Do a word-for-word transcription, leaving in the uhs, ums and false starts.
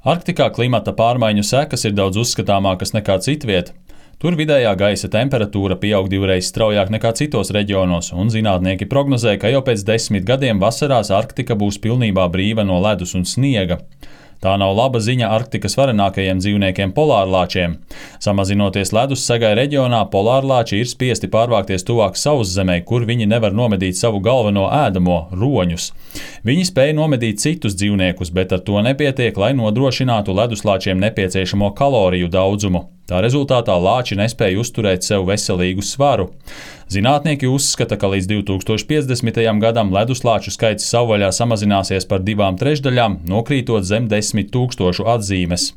Arktikā klimata pārmaiņu sekas ir daudz uzskatāmākas nekā citviet. Tur vidējā gaisa temperatūra pieaug divreiz straujāk nekā citos reģionos, un zinātnieki prognozē, ka jau pēc desmit gadiem vasarās Arktika būs pilnībā brīva no ledus un sniega. Tā nav laba ziņa Arktikas varenākajiem dzīvniekiem polārlāčiem. Samazinoties ledus segai reģionā, polārlāči ir spiesti pārvākties tuvāk sauszemei, kur viņi nevar nomedīt savu galveno ēdamo – roņus. Viņi spēj nomedīt citus dzīvniekus, bet ar to nepietiek, lai nodrošinātu leduslāčiem nepieciešamo kaloriju daudzumu. Tā rezultātā lāči nespēja uzturēt sev veselīgu svaru. Zinātnieki uzskata, ka līdz divi tūkstoši piecdesmitajam gadam leduslāču skaits savvaļā samazināsies par divām trešdaļām, nokrītot zem desmit tūkstošu atzīmes.